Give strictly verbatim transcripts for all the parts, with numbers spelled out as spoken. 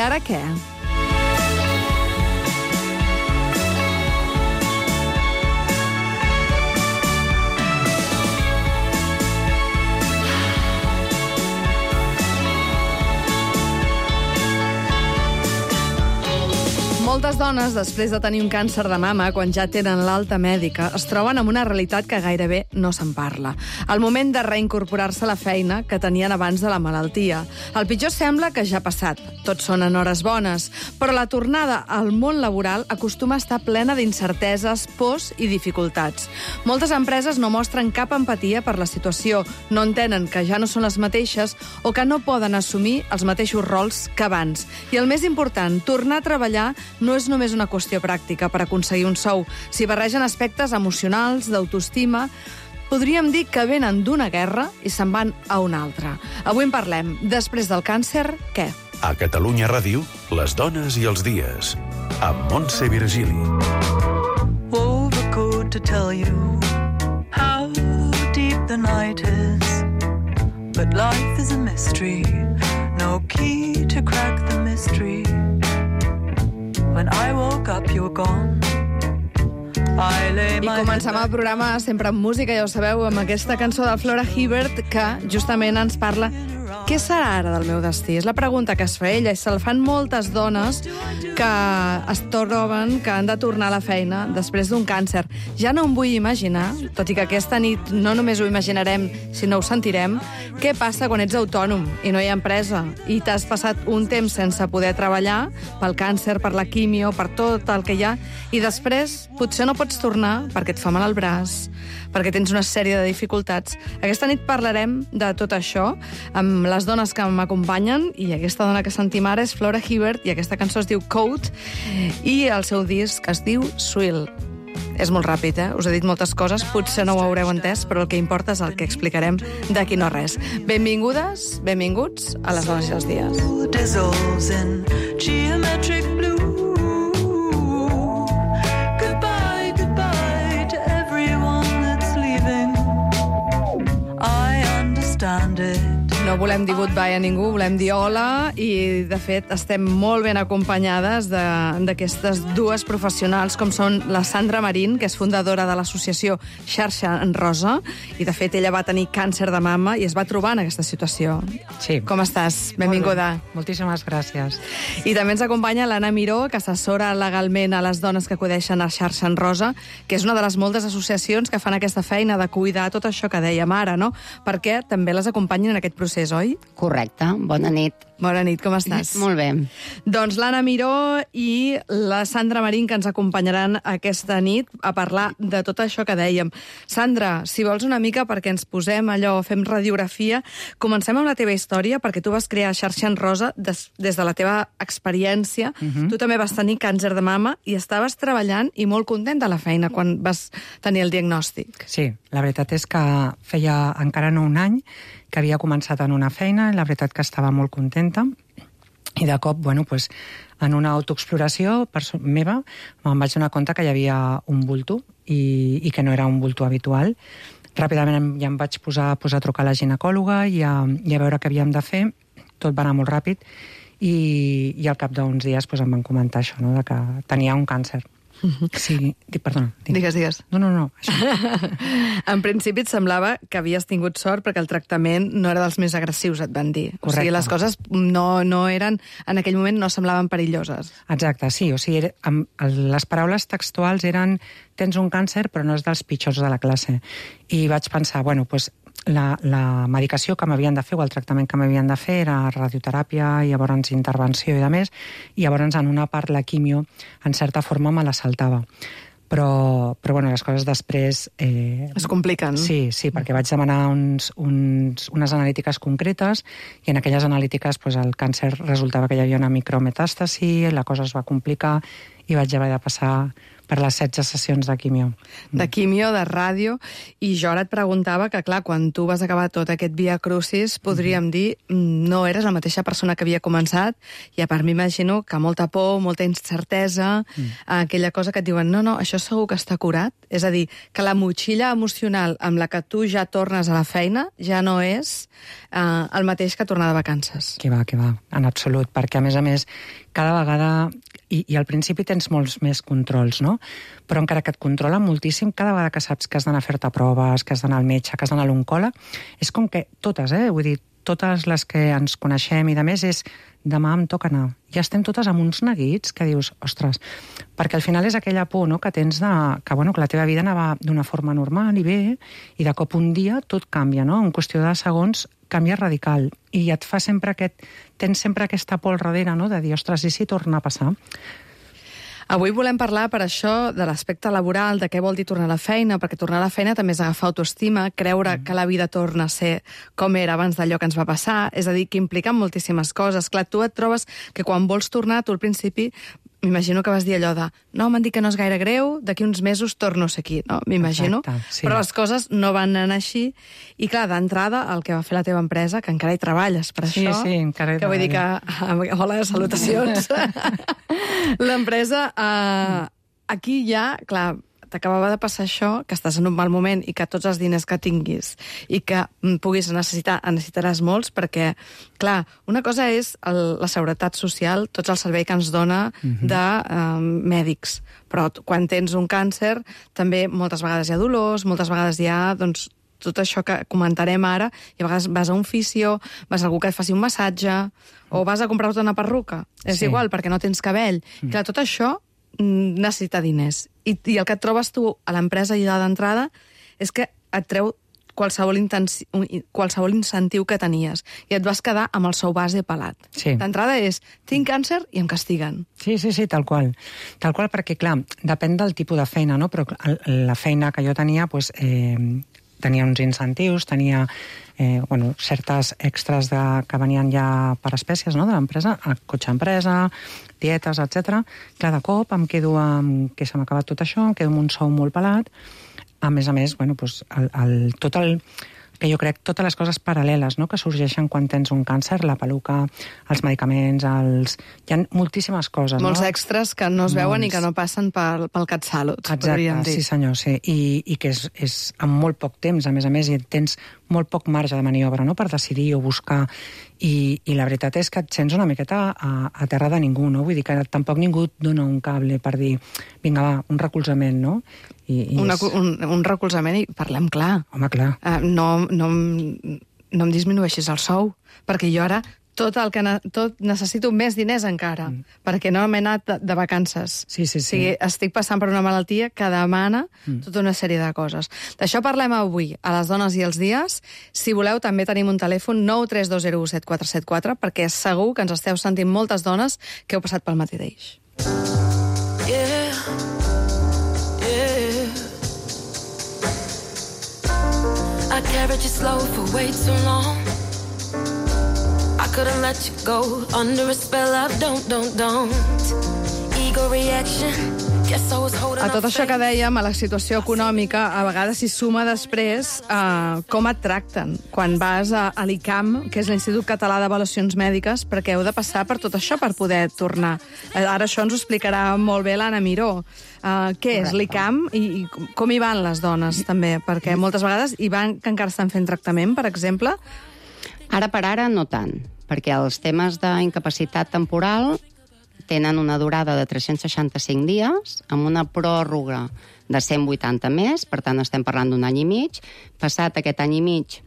ara què? Moltes dones, després de tenir un càncer de mama, quan ja tenen l'alta mèdica, es troben amb una realitat que gairebé no se'n parla. El moment de reincorporar-se a la feina que tenien abans de la malaltia. El pitjor sembla que ja ha passat. Tots són en hores bones. Però la tornada al món laboral acostuma a estar plena d'incerteses, pors i dificultats. Moltes empreses no mostren cap empatia per la situació, no entenen que ja no són les mateixes o que no poden assumir els mateixos rols que abans. I el més important, tornar a treballar no és només una qüestió pràctica per aconseguir un sou. S'hi barregen aspectes emocionals, d'autoestima. Podríem dir que venen d'una guerra i se'n van a una altra. Avui en parlem. Després del càncer, què? A Catalunya Ràdio, les dones i els dies. Amb Montse Virgili. Overcoat to tell you how deep the night is. But life is a mystery. No key to crack the mystery. When I woke up, you were gone. I lay my I comencem el programa sempre amb música, ja ho sabeu, amb aquesta cançó de Flora Hibbert que justament ens parla què serà ara del meu destí? És la pregunta que es fa ella i se'l fan moltes dones que es troben que han de tornar a la feina després d'un càncer. Ja no em vull imaginar, tot i que aquesta nit no només ho imaginarem, sinó ho sentirem, què passa quan ets autònom i no hi ha empresa i t'has passat un temps sense poder treballar pel càncer, per la quimio, per tot el que hi ha, i després potser no pots tornar perquè et fa mal el braç, perquè tens una sèrie de dificultats. Aquesta nit parlarem de tot això amb les dones que m'acompanyen, i aquesta dona que sentim ara és Flora Hibbert, i aquesta cançó es diu Coat, i el seu disc es diu Swill. És molt ràpid, eh? Us he dit moltes coses, potser no ho haureu entès, però el que importa és el que explicarem d'aquí no res. Benvingudes, benvinguts a les dones i els dies. dissolves in geometric blue. Goodbye, goodbye to everyone that's leaving. I understand it. No volem dir goodbye a ningú, volem dir hola, i de fet estem molt ben acompanyades d'aquestes dues professionals com són la Sandra Marín, que és fundadora de l'associació Xarxa en Rosa, i de fet ella va tenir càncer de mama i es va trobar en aquesta situació. Sí. Com estàs? Benvinguda. Moltíssimes gràcies. I també ens acompanya l'Anna Miró, que assessora legalment a les dones que acudeixen a Xarxa en Rosa, que és una de les moltes associacions que fan aquesta feina de cuidar tot això que dèiem ara, no? Perquè també les acompanyen en aquest procés, oi? Correcte. Bona nit. Bona nit, com estàs? Molt bé. Doncs l'Anna Miró i la Sandra Marín, que ens acompanyaran aquesta nit a parlar de tot això que dèiem. Sandra, si vols una mica perquè ens posem allò, fem radiografia, comencem amb la teva història, perquè tu vas crear Xarxa en Rosa des, des de la teva experiència. Uh-huh. Tu també vas tenir càncer de mama i estaves treballant i molt contenta a la feina quan vas tenir el diagnòstic. Sí, la veritat és que feia encara no un any que havia començat en una feina, i la veritat que estava molt contenta, i de cop, bueno, pues, en una autoexploració meva, me'n vaig donar compte que hi havia un bulto i, i que no era un bulto habitual. Ràpidament ja em vaig posar, posar a trucar a la ginecòloga i a, i a veure què havíem de fer. Tot va anar molt ràpid i, i al cap d'uns dies pues, em van comentar això, no?, de que tenia un càncer. Sí, perdona. Digues, digues. No, no, no. Això. En principi et semblava que havies tingut sort perquè el tractament no era dels més agressius, et van dir. Correcte. O sigui, les coses no, no eren, en aquell moment no semblaven perilloses. Exacte, sí. O sigui, era, les paraules textuals eren tens un càncer però no és dels pitjors de la classe. I vaig pensar, bueno, doncs la, la medicació que m'havien de fer o el tractament que m'havien de fer era radioteràpia i llavors intervenció i de més, i llavors en una part la quimio en certa forma me la saltava. Però, però bueno, les coses després... Eh, es compliquen. Sí, sí, perquè vaig demanar uns, uns, unes analítiques concretes i en aquelles analítiques pues, el càncer resultava que hi havia una micrometàstasi, la cosa es va complicar i vaig haver de passar per les setze sessions de quimio. De quimio, de ràdio, i jo ara et preguntava que, clar, quan tu vas acabar tot aquest via crucis, podríem dir, no eres la mateixa persona que havia començat, i a part m'imagino que molta por, molta incertesa, mm. aquella cosa que et diuen, no, no, això segur que està curat, és a dir, que la motxilla emocional amb la que tu ja tornes a la feina ja no és eh, el mateix que tornar de vacances. Que va, que va, en absolut, perquè a més a més, cada vegada, i, i al principi tens molts més controls, no? Però encara que et controla moltíssim, cada vegada que saps que has d'anar a fer-te proves, que has d'anar al metge, que has d'anar a l'oncòleg, és com que totes, eh? Vull dir, totes les que ens coneixem i de més és demà em toca anar. Ja estem totes amb uns neguits que dius, ostres, perquè al final és aquella por, no?, que tens de, que, bueno, que la teva vida anava d'una forma normal i bé, i de cop un dia tot canvia, no? En qüestió de segons canvia radical. I et fa sempre aquest... Tens sempre aquesta por al darrere, no?, de dir, ostres, i si torna a passar? Avui volem parlar, per això, de l'aspecte laboral, de què vol dir tornar a la feina, perquè tornar a la feina també és agafar autoestima, creure mm. que la vida torna a ser com era abans d'allò que ens va passar, és a dir, que implica moltíssimes coses. Clar, tu et trobes que quan vols tornar, tu al principi, m'imagino que vas dir allò de no, m'han dit que no és gaire greu, d'aquí uns mesos torno a ser aquí, no? M'imagino. Sí. Però les coses no van anar així. I clar, d'entrada, el que va fer la teva empresa, que encara hi treballes per sí, això, sí, encara hi que vull dir que... Hola, salutacions. L'empresa, eh, aquí ja, clar, t'acabava de passar això, que estàs en un mal moment i que tots els diners que tinguis i que puguis necessitar, en necessitaràs molts, perquè, clar, una cosa és el, la seguretat social, tots el servei que ens dona uh-huh. de eh, mèdics, però quan tens un càncer també moltes vegades hi ha dolors, moltes vegades hi ha, doncs, tot això que comentarem ara, i a vegades vas a un fisio, vas a algú que et faci un massatge, o vas a comprar-te una perruca. És sí. igual, perquè no tens cabell. Mm. Clar, tot això necessita diners. I, i el que et trobes tu a l'empresa ja d'entrada és que et treu qualsevol, intensi, qualsevol incentiu que tenies i et vas quedar amb el sou base pelat. Sí. D'entrada és, tinc càncer i em castiguen. Sí, sí, sí, tal qual. Tal qual, perquè, clar, depèn del tipus de feina, no? Però la feina que jo tenia, doncs, eh, tenia uns incentius, tenia eh, bueno, certes extras de, que venien ja per espècies, no?, de l'empresa, cotxe empresa, dietes, etcètera. Clar, de cop em quedo amb que se m'ha acabat tot això, em quedo amb un sou molt pelat. A més a més, bueno, doncs, el, el, tot el... que jo crec totes les coses paral·leles, no?, que sorgeixen quan tens un càncer, la peluca, els medicaments, els... hi ha moltíssimes coses, Molts no? extras que no es veuen Molts... i que no passen pel, pel CatSalut, podríem dir. Sí senyor, sí. I, i que és, és en molt poc temps, a més a més, i tens molt poc marge de maniobra, no?, per decidir o buscar. I, i la veritat és que et sents una miqueta a, a terra de ningú, no? Vull dir que tampoc ningú et dona un cable per dir, vinga, va, un recolzament, no? I, i Una, és... un, un recolzament i parlem clar. Home, clar. Uh, no, no, no em disminueixis el sou, perquè jo ara tot el que ne tot necessito més diners encara, mm. perquè no m'he anat de, de vacances. Sí, sí, sí. O sigui, estic passant per una malaltia que demana mm. tota una sèrie de coses. D'això parlem avui, a les dones i els dies. Si voleu, també tenim un telèfon nou tres dos zero u set quatre set quatre, perquè segur que ens esteu sentint moltes dones que heu passat pel mateix. Yeah, yeah. I carried you slow for way too long. I couldn't let you go under a spell of don't, don't, don't. Ego reaction. A tot això que dèiem, a la situació econòmica, a vegades s'hi suma després eh, com et tracten. Quan vas a, a l'I C A M, que és l'Institut Català d'Avaluacions Mèdiques, perquè heu de passar per tot això per poder tornar. Ara això ens ho explicarà molt bé l'Anna Miró. Uh, què és l'I C A M i, i com hi van les dones, també? Perquè moltes vegades hi van que encara estan fent tractament, per exemple. Ara per ara no tant, perquè els temes d'incapacitat temporal tenen una durada de tres-cents seixanta-cinc dies, amb una pròrroga de cent vuitanta més, per tant estem parlant d'un any i mig. Passat aquest any i mig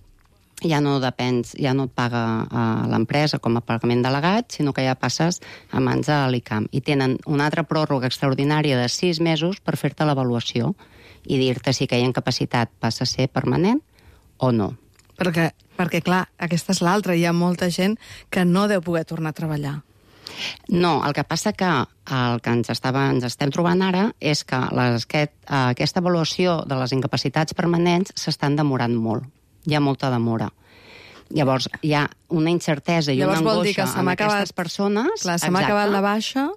ja no depens, ja no et paga uh, l'empresa com a pagament delegat, sinó que ja passes a mans de l'I C A M. I tenen una altra pròrroga extraordinària de sis mesos per fer-te l'avaluació i dir-te si aquella incapacitat passa a ser permanent o no. Perquè, perquè clar, aquesta és l'altra. Hi ha molta gent que no deu poder tornar a treballar. No, el que passa que el que ens, estava, ens estem trobant ara és que les, aquest, aquesta avaluació de les incapacitats permanents s'estan demorant molt. Hi ha molta demora. Llavors, hi ha una incertesa i Llavors, una vol dir angoixa que en acabat, aquestes persones. Clar, se m'ha acabat la baixa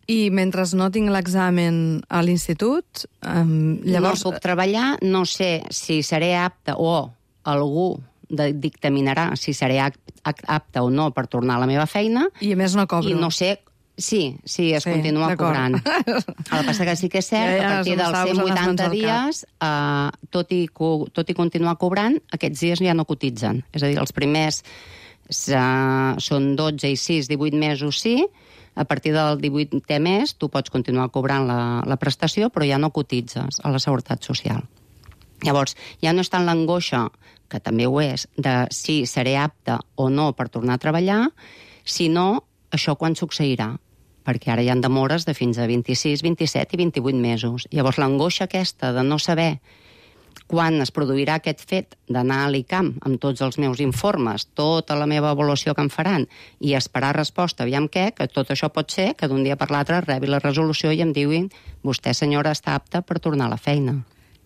I mentre no tinc l'examen a l'institut, um, llavors... No puc treballar, no sé si seré apte o algú de, dictaminarà si seré apte o no per tornar a la meva feina. I a més no cobro. I no sé... Sí, sí, es sí, continua cobrant. El que passa que sí que és cert ja, ja, que a partir dels cent vuitanta dies, eh, tot, i, tot i continuar cobrant, aquests dies ja no cotitzen. És a dir, els primers eh, són dotze i sis, divuit mesos sí, a partir del divuitè mes tu pots continuar cobrant la, la prestació, però ja no cotitzes a la Seguretat Social. Llavors, ja no és tant l'angoixa, que també ho és, de si seré apte o no per tornar a treballar, sinó això quan succeirà, perquè ara hi ha demores de fins a vint-i-sis, vint-i-set i vint-i-vuit mesos. Llavors, l'angoixa aquesta de no saber quan es produirà aquest fet d'anar a l'I C A M amb tots els meus informes, tota la meva avaluació que em faran, i esperar resposta, aviam què, que tot això pot ser que d'un dia per l'altre rebi la resolució i em diuen vostè, senyora, està apta per tornar a la feina.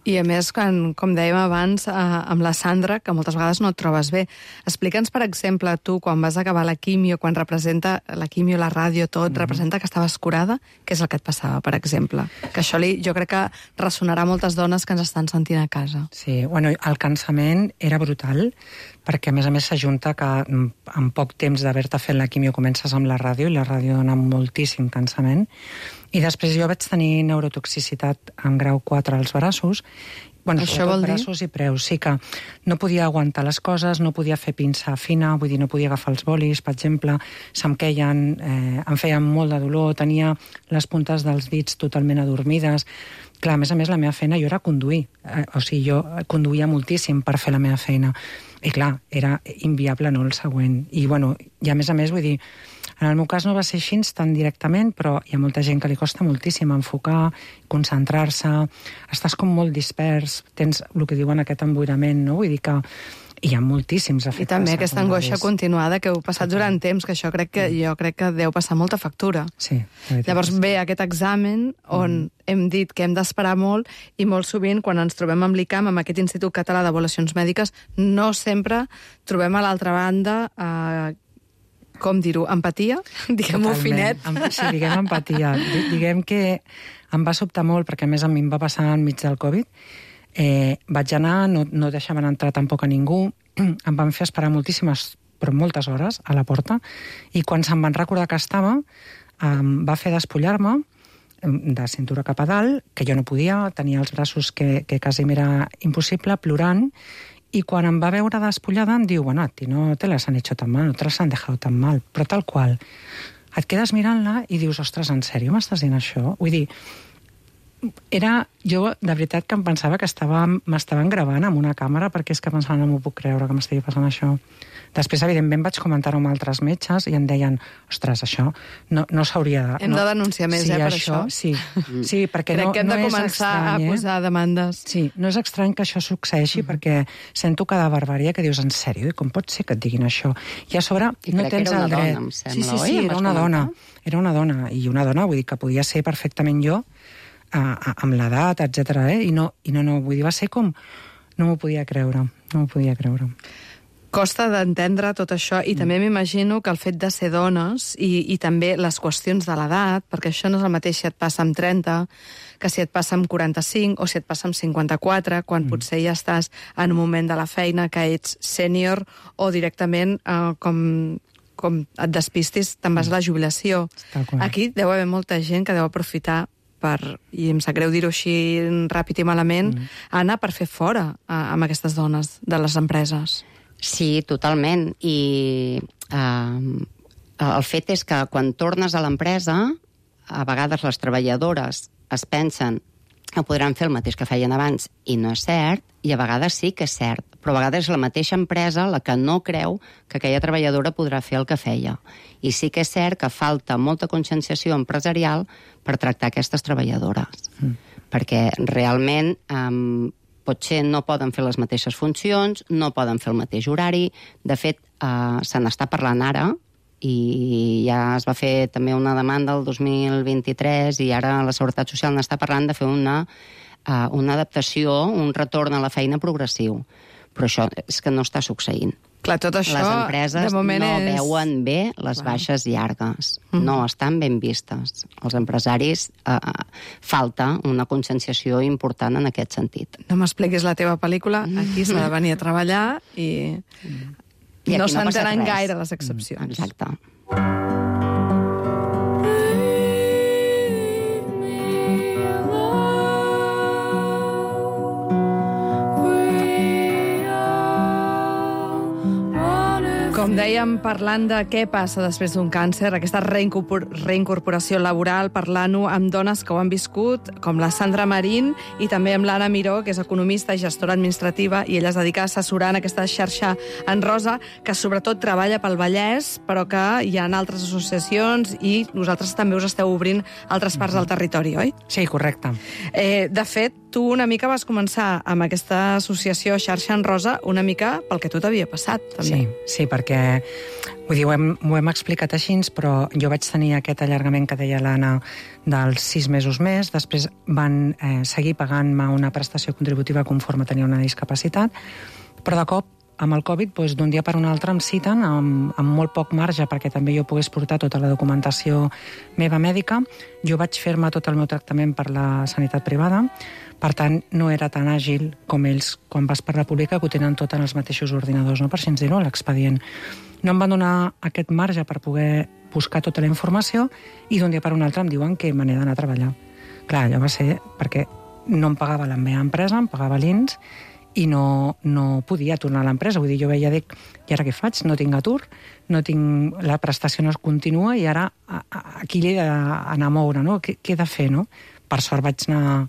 I a més, quan, com dèiem abans, eh, amb la Sandra, que moltes vegades no et trobes bé. Explica'ns, per exemple, tu, quan vas acabar la quimio, quan representa la quimio, la ràdio, tot, mm-hmm. representa que estaves curada, què és el que et passava, per exemple? Que això li, jo crec que ressonarà a moltes dones que ens estan sentint a casa. Sí, bueno, el cansament era brutal, perquè a més a més s'ajunta que en poc temps d'haver-te fet la quimio comences amb la ràdio, i la ràdio dona moltíssim cansament, i després jo vaig tenir neurotoxicitat en grau quatre als braços, bueno, això vol dir? Braços i preus, sí que no podia aguantar les coses, no podia fer pinça fina, vull dir, no podia agafar els bolis, per exemple, se'm queien, eh, em feien molt de dolor, tenia les puntes dels dits totalment adormides. Clar, a més a més, la meva feina jo era conduir, eh, o sigui, jo conduïa moltíssim per fer la meva feina, i clar, era inviable, no, el següent. I, bueno, i a més a més, vull dir, en el meu cas no va ser així tan directament, però hi ha molta gent que li costa moltíssim enfocar, concentrar-se, estàs com molt dispers, tens el que diuen aquest emboirament, no? Vull dir que hi ha moltíssims efectes. I també aquesta angoixa continuada que heu passat durant temps, que això crec que jo crec que deu passar molta factura. Sí. Llavors ve aquest examen on mm. hem dit que hem d'esperar molt, i molt sovint, quan ens trobem amb l'I C A M, amb aquest Institut Català d'Avaluacions Mèdiques, no sempre trobem a l'altra banda eh, com dir-ho, empatia? Diguem-ho finet. Sí, diguem empatia. Diguem que em va sobtar molt, perquè a més a mi em va passar enmig del Covid. Eh, vaig anar, no, no deixaven entrar tampoc a ningú, em van fer esperar moltíssimes, però moltes hores, a la porta, i quan se'm van recordar que estava, em va fer despullar-me de cintura cap a dalt, que jo no podia, tenia els braços que, que quasi m'era impossible, plorant, i quan em va veure despullada em diu, bueno, a ti no te las han hecho tan mal, no te las han dejado tan mal, però tal qual. Et quedes mirant-la i dius, ostres, en sèrio m'estàs dient això? Vull dir, era, jo de veritat que em pensava que estava, m'estaven gravant amb una càmera, perquè és que pensava, no m'ho puc creure que m'estigui passant això. Després, evidentment, vaig comentar-ho amb altres metges i em deien, ostres, això no, no s'hauria de... Hem no, de denunciar més, sí, eh, per això. això. Sí, sí, perquè crec no, que hem no de és començar estrany, a posar eh? demandes. Sí, no és estrany que això succeeixi, mm-hmm. perquè sento cada barbària que dius, en sèrio, i com pot ser que et diguin això? I a sobre I no tens el dret. Dona, sembla, sí, sí, sí, oi? era una dona. Era una dona, i una dona, vull dir, que podia ser perfectament jo, a, a, amb l'edat, etcètera, eh? I no, i no, no, vull dir, va ser com... No m'ho podia creure, no m'ho podia creure. Costa d'entendre tot això, i mm. també m'imagino que el fet de ser dones i, i també les qüestions de l'edat, perquè això no és el mateix si et passa amb trenta, que si et passa amb quaranta-cinc o si et passa amb cinquanta-quatre, quan mm. potser ja estàs en un moment de la feina que ets sènior o directament eh, com, com et despistis, te'n vas a la jubilació. Aquí deu haver molta gent que deu aprofitar per, i em sap greu dir-ho així ràpid i malament, mm. anar per fer fora eh, amb aquestes dones de les empreses. Sí, totalment. I eh, el fet és que quan tornes a l'empresa, a vegades les treballadores es pensen que podran fer el mateix que feien abans, i no és cert, i a vegades sí que és cert, però a vegades és la mateixa empresa la que no creu que aquella treballadora podrà fer el que feia. I sí que és cert que falta molta conscienciació empresarial per tractar aquestes treballadores, mm. perquè realment... Eh, potser no poden fer les mateixes funcions, no poden fer el mateix horari. De fet, eh, se n'està parlant ara, i ja es va fer també una demanda el dos mil vint-i-tres, i ara la Seguretat Social n'està parlant de fer una, eh, una adaptació, un retorn a la feina progressiu. Però això és que no està succeint. Clar, tot això, les empreses de moment no és... veuen bé les Clar. baixes llargues. Mhm. No estan ben vistes. Els empresaris eh, falta una conscienciació important en aquest sentit. No m'expliquis la teva pel·lícula, aquí s'ha de venir a treballar i, I no aquí no passa s'entenen res. gaire les excepcions. Exacte. Com dèiem, parlant de què passa després d'un càncer, aquesta reincorpor reincorporació laboral, parlant-ho amb dones que ho han viscut, com la Sandra Marín, i també amb l'Anna Miró, que és economista i gestora administrativa, i ella es dedica a assessorar en aquesta xarxa en rosa, que sobretot treballa pel Vallès, però que hi ha altres associacions i vosaltres també us esteu obrint altres parts del territori, oi? Sí, correcte. Eh, de fet, tu una mica vas començar amb aquesta associació xarxa en rosa una mica pel que tot havia passat, també. Sí, sí, perquè vull dir, ho, hem, ho hem explicat així, però jo vaig tenir aquest allargament que deia l'Anna dels sis mesos més, després van eh, seguir pagant-me una prestació contributiva conforme tenia una discapacitat, però de cop, amb el Covid, doncs, d'un dia per un altre em citen amb, amb molt poc marge perquè també jo pogués portar tota la documentació meva mèdica. Jo vaig fer-me tot el meu tractament per la sanitat privada, per tant, no era tan àgil com ells quan vas per la pública, que ho tenen tot en els mateixos ordinadors, no? Per així dir-ho, l'expedient. No em van donar aquest marge per poder buscar tota la informació i d'un dia per un altre em diuen que me n'he d'anar a treballar. Clar, allò va ser perquè no em pagava la meva empresa, em pagava l'I N S i no, no podia tornar a l'empresa. Vull dir, jo veia, dic, i ara què faig? No tinc atur, no tinc, la prestació no es continua i ara a, a, aquí l'he d'anar a moure, no? Què, què he de fer, no? Per sort vaig anar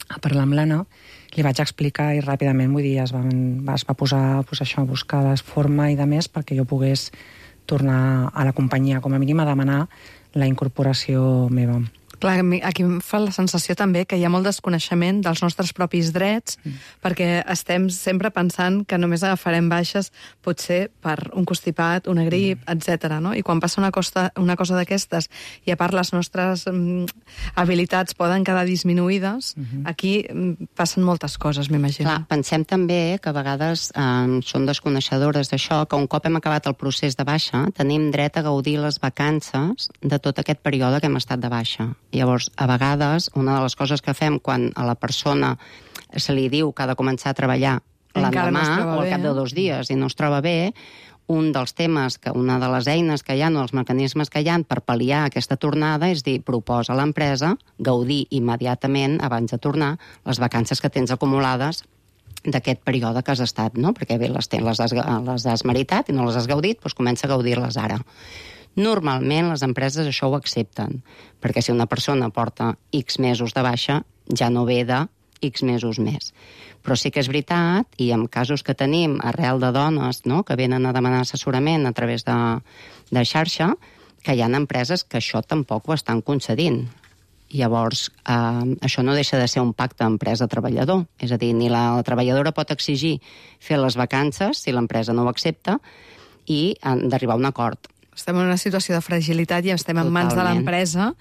a parlar amb l'Anna, li vaig explicar i ràpidament, vull dir, es, van, es va posar pues, això, a buscar la forma i de més perquè jo pogués tornar a la companyia, com a mínim a demanar la incorporació meva. Clar, aquí em fa la sensació també que hi ha molt desconeixement dels nostres propis drets, mm. perquè estem sempre pensant que només agafarem baixes potser per un constipat, una grip, mm. etcètera. No? I quan passa una, costa, una cosa d'aquestes i a part les nostres mm, habilitats poden quedar disminuïdes, mm-hmm. aquí mm, passen moltes coses, m'imagino. Clar, pensem també que a vegades eh, són desconeixedores d'això, que un cop hem acabat el procés de baixa, tenim dret a gaudir les vacances de tot aquest període que hem estat de baixa. Llavors, a vegades, una de les coses que fem quan a la persona se li diu que ha de començar a treballar l'endemà no o al cap de dos dies i no es troba bé, un dels temes, que una de les eines que hi ha, o els mecanismes que hi ha per pal·liar aquesta tornada és dir, proposa a l'empresa gaudir immediatament, abans de tornar, les vacances que tens acumulades d'aquest període que has estat, no? Perquè bé, les, ten, les, has, les has meritat i no les has gaudit, doncs comença a gaudir-les ara. Normalment les empreses això ho accepten, perquè si una persona porta X mesos de baixa, ja no ve de X mesos més. Però sí que és veritat, i en casos que tenim arrel de dones, no?, que venen a demanar assessorament a través de, de xarxa, que hi ha empreses que això tampoc ho estan concedint. Llavors, eh, això no deixa de ser un pacte empresa-treballador. És a dir, ni la, la treballadora pot exigir fer les vacances si l'empresa no ho accepta i han d'arribar a un acord. Estem en una situació de fragilitat i estem en mans de l'empresa.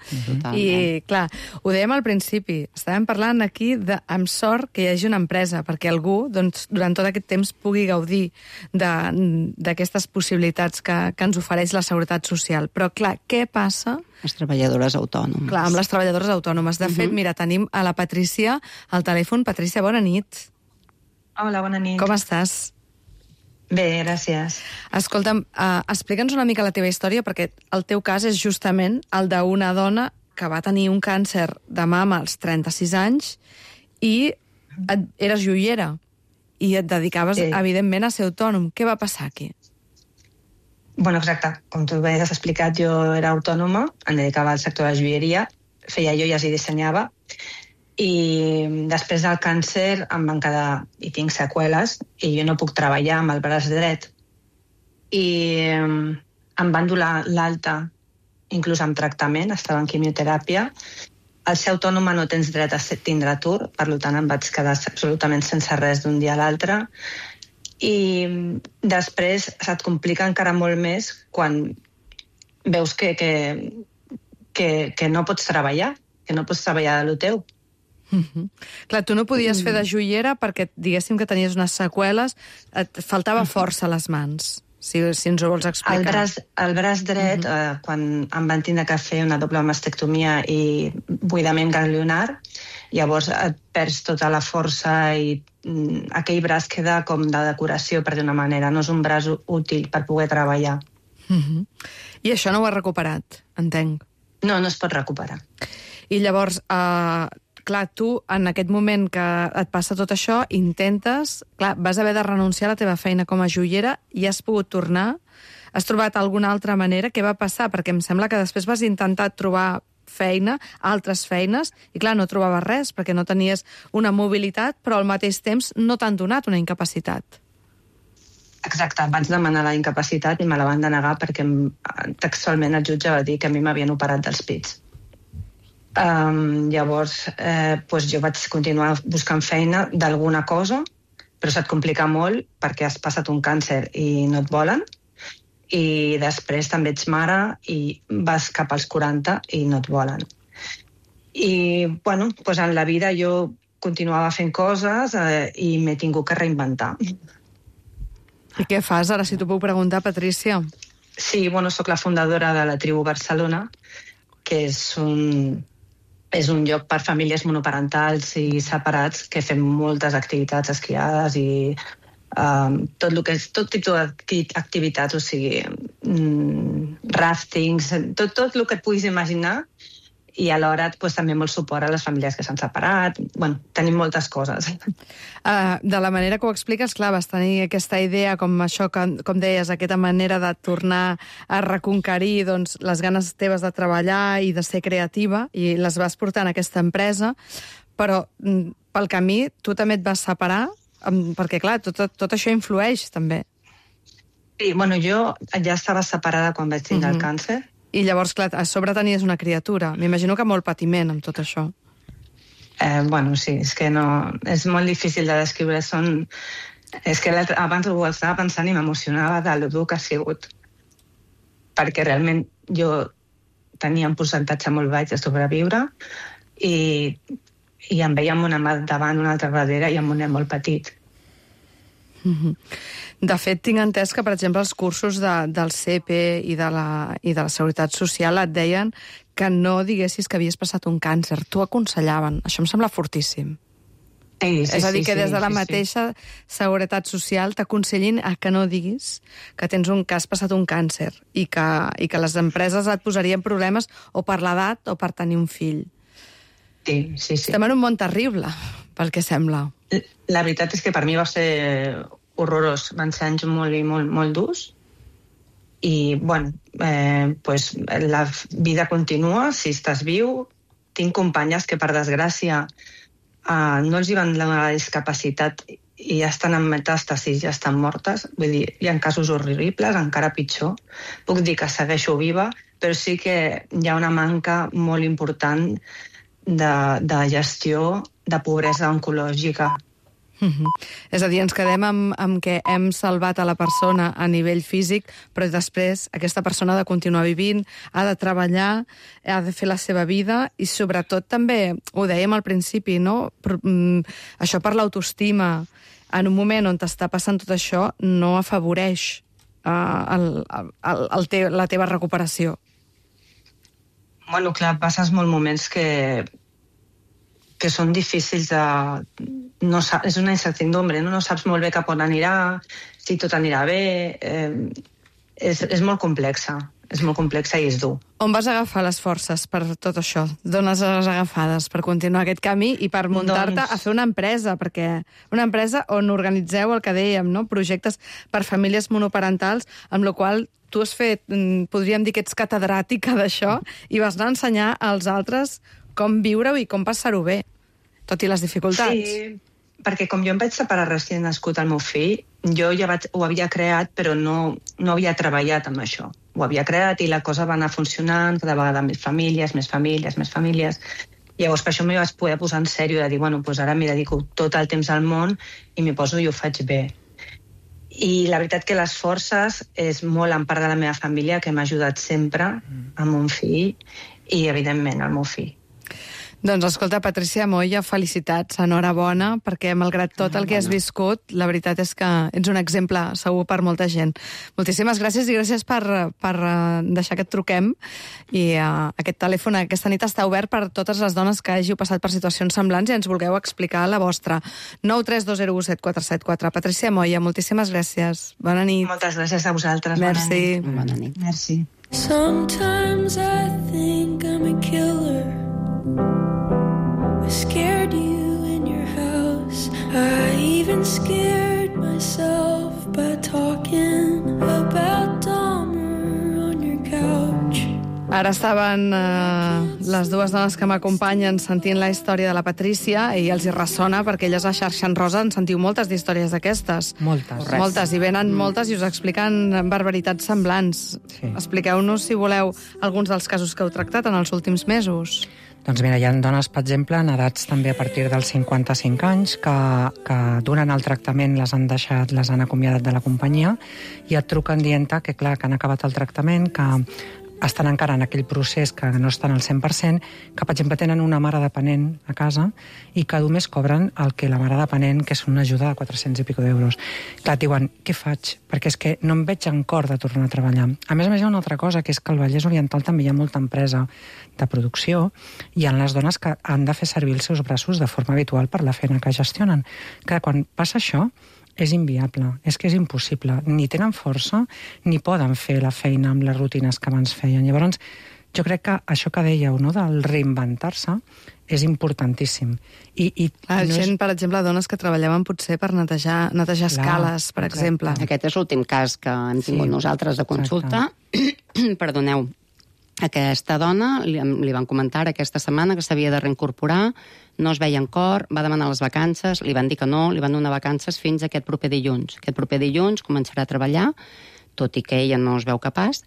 I, clar, ho dèiem al principi, estàvem parlant aquí de, amb sort que hi hagi una empresa, perquè algú, doncs, durant tot aquest temps pugui gaudir d'aquestes possibilitats que, que ens ofereix la Seguretat Social. Però, clar, què passa? Les treballadores autònomes. Clar, amb les treballadores autònomes. De uh-huh. fet, mira, tenim a la Patrícia al telèfon. Patrícia, bona nit. Hola, bona nit. Com estàs? Bé, gràcies. Escolta'm, uh, explica'ns una mica la teva història, perquè el teu cas és justament el d'una dona que va tenir un càncer de mama als trenta-sis anys i et, eres joiera i et dedicaves, sí. evidentment, a ser autònom. Què va passar aquí? Bueno, exacte. Com tu bé has explicat, jo era autònoma, em dedicava al sector de la joieria, feia joies i dissenyava, i després del càncer em van quedar, i tinc seqüeles, i jo no puc treballar amb el braç dret. I em van dur l'alta, inclús amb tractament, estava en quimioteràpia. Al ser autònoma no tens dret a tindre atur, per tant em vaig quedar absolutament sense res d'un dia a l'altre. I després se't complica encara molt més quan veus que, que, que, que no pots treballar, que no pots treballar de lo teu. Mm-hmm. Clar, tu no podies fer de joiera perquè, diguéssim, que tenies unes seqüeles, et faltava força a les mans, si, si ens ho vols explicar. El braç, el braç dret, mm-hmm. eh, quan em van tindre que fer una doble mastectomia i buidament ganglionar, llavors et perds tota la força i mm, aquell braç queda com de decoració, per dir una manera. No és un braç útil per poder treballar. Mm-hmm. I això no ho has recuperat, entenc. No, no es pot recuperar. I llavors, eh, clar, tu, en aquest moment que et passa tot això, intentes... Clar, vas haver de renunciar a la teva feina com a joiera i has pogut tornar. Has trobat alguna altra manera? Què va passar? Perquè em sembla que després vas intentar trobar feina, altres feines, i clar, no trobaves res, perquè no tenies una mobilitat, però al mateix temps no t'han donat una incapacitat. Exacte, vaig demanar la incapacitat i me la van denegar perquè textualment el jutge va dir que a mi m'havien operat dels pits. Um, llavors, eh, pues jo vaig continuar buscant feina d'alguna cosa, però se't complica molt perquè has passat un càncer i no et volen, i després també ets mare i vas cap als quaranta i no et volen. I, bueno, pues en la vida jo continuava fent coses eh, i m'he tingut que reinventar. I què fas ara, si t'ho puc preguntar, Patrícia? Sí, bueno, sóc la fundadora de la Tribu Barcelona, que és un, és un lloc per famílies monoparentals i separats que fem moltes activitats esquiades i um, tot, lo que és, tot tipus d'activitats, o sigui, mm, raftings, tot, tot el que et puguis imaginar, i alhora pues, també molt suport a les famílies que s'han separat. Bueno, tenim moltes coses. Uh, de la manera que ho expliques, clar, vas tenir aquesta idea, com això, com, com deies, aquesta manera de tornar a reconquerir doncs, les ganes teves de treballar i de ser creativa, i les vas portar en aquesta empresa, però mm, pel camí tu també et vas separar, um, perquè, clar, tot, tot això influeix, també. Sí, bueno, jo ja estava separada quan vaig tindre mm-hmm. el càncer. I llavors, clar, a sobre tenies una criatura. M'imagino que molt patiment amb tot això. Eh, bueno, sí, és que no... És molt difícil de descriure. Són... És que abans ho estava pensant i m'emocionava de lo dur que ha sigut. Perquè realment jo tenia un percentatge molt baix de sobreviure i, i em veia amb una mà davant, una altra darrere i amb un nen molt petit. Mm-hmm. De fet, tinc entès que, per exemple, els cursos de, del C E P i de, la, i de la Seguretat Social et deien que no diguessis que havies passat un càncer. T'ho aconsellaven. Això em sembla fortíssim. Sí, sí, És a dir, sí, que des de la sí, mateixa sí. Seguretat Social t'aconsellin a que no diguis que tens un, que has passat un càncer i que, i que les empreses et posarien problemes o per l'edat o per tenir un fill. Sí, sí, sí. Estem en un món terrible, pel que sembla. La veritat és que per mi va ser horrorós. Van ser anys molt i molt, molt durs. I, bueno, eh, pues, la vida continua, si estàs viu. Tinc companyes que, per desgràcia, eh, no els hi van donar la discapacitat i ja estan en metàstasis, ja estan mortes. Vull dir, hi ha casos horribles, encara pitjor. Puc dir que segueixo viva, però sí que hi ha una manca molt important de, de gestió de pobresa oncològica. Mm-hmm. És a dir, ens quedem amb, amb que hem salvat a la persona a nivell físic, però després aquesta persona ha de continuar vivint, ha de treballar, ha de fer la seva vida i sobretot també, ho dèiem al principi, no? Però, mm, això per l'autoestima, en un moment on t'està passant tot això, no afavoreix uh, el, el, el te, la teva recuperació. Bueno, clar, passes molts moments que que són difícils de... No sap, és una incertidumbre, no? No saps molt bé cap on anirà, si tot anirà bé... Eh, és, és molt complexa, és molt complexa i és dur. On vas agafar les forces per tot això? D'on les has agafades per continuar aquest camí i per muntar-te doncs... a fer una empresa? Perquè una empresa on organitzeu el que dèiem, no? Projectes per famílies monoparentals, amb la qual tu has fet, podríem dir que ets catedràtica d'això, i vas anar a ensenyar als altres com viure-ho i com passar-ho bé, tot i les dificultats. Sí, perquè com jo em vaig separar recient nascut el meu fill, jo ja vaig, ho havia creat, però no, no havia treballat amb això. Ho havia creat i la cosa va anar funcionant, cada vegada més famílies, més famílies, més famílies. Llavors, per això m'hi vaig poder posar en sèrio, de dir, bueno, doncs ara m'hi dedico tot el temps al món i m'hi poso i ho faig bé. I la veritat que les forces és molt en part de la meva família, que m'ha ajudat sempre amb un fill i, evidentment, el meu fill. Doncs escolta, Patricia Moya, felicitats, enhorabona, perquè malgrat tot el que has viscut, la veritat és que ets un exemple segur per molta gent. Moltíssimes gràcies i gràcies per, per deixar que et truquem. I uh, aquest telèfon aquesta nit està obert per totes les dones que hàgiu passat per situacions semblants i ens vulgueu explicar la vostra. nou tres dos zero u set quatre set quatre. Patricia Moya, moltíssimes gràcies. Bona nit. Moltes gràcies a vosaltres. Merci. Bona nit. Bona nit. Merci. Sometimes I think I'm a killer. I scared you in your house. I even scared myself by talking about Dahmer on your couch. Ara estaven eh, les dues dones que m'acompanyen sentint la història de la Patrícia i els hi ressona perquè elles a Xarxa en Rosa en sentiu moltes d'històries d'aquestes. Moltes. Correcte. Moltes, i venen mm. moltes i us expliquen barbaritats semblants. Sí. Expliqueu-nos, si voleu, alguns dels casos que heu tractat en els últims mesos. Doncs mira, hi ha dones, per exemple, en edats també a partir dels cinquanta-cinc anys, que, que durant el tractament les han deixat, les han acomiadat de la companyia i et truquen dient-te que, clar, que han acabat el tractament, que estan encara en aquell procés que no estan al cent per cent, que, per exemple, tenen una mare dependent a casa i que només cobren el que la mare dependent, que és una ajuda de quatre-cents i pico d'euros. Clar, et diuen, què faig? Perquè és que no em veig en cor de tornar a treballar. A més a més, hi ha una altra cosa, que és que al Vallès Oriental també hi ha molta empresa de producció i hi ha les dones que han de fer servir els seus braços de forma habitual per la feina que gestionen. Clar, quan passa això, és inviable, és que és impossible. Ni tenen força, ni poden fer la feina amb les rutines que abans feien. Llavors, jo crec que això que dèieu, no?, del reinventar-se, és importantíssim. I, i La no gent, és... per exemple, dones que treballaven potser per netejar, netejar Clar, escales, per exacte. exemple. Aquest és l'últim cas que hem tingut Sí, nosaltres de consulta. Perdoneu. Aquesta dona, li, li van comentar aquesta setmana que s'havia de reincorporar, no es veia en cor, va demanar les vacances, li van dir que no, li van donar vacances fins aquest proper dilluns. Aquest proper dilluns començarà a treballar, tot i que ella no es veu capaç.